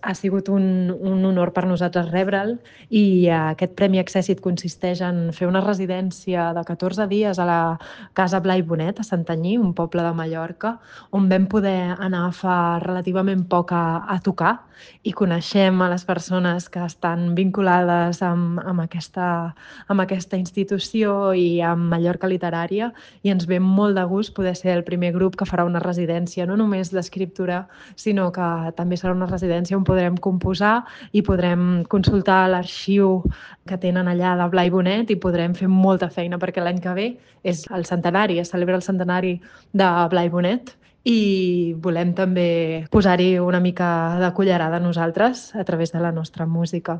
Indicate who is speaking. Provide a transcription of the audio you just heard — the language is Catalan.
Speaker 1: Ha sigut un honor per nosaltres rebre'l i aquest Premi Accèssit consisteix en fer una residència de 14 dies a la Casa Blai Bonet, a Santanyí, un poble de Mallorca, on vam poder anar fa relativament poc a tocar i coneixem a les persones que estan vinculades amb aquesta institució i amb Mallorca Literària i ens ve molt de gust poder ser el primer grup que farà una residència, no només d'escriptura, sinó que també serà una residència on podrem composar i podrem consultar l'arxiu que tenen allà de Blai Bonet i podrem fer molta feina perquè l'any que ve és el centenari, es celebra el centenari de Blai Bonet i volem també posar-hi una mica de cullerada nosaltres a través de la nostra música.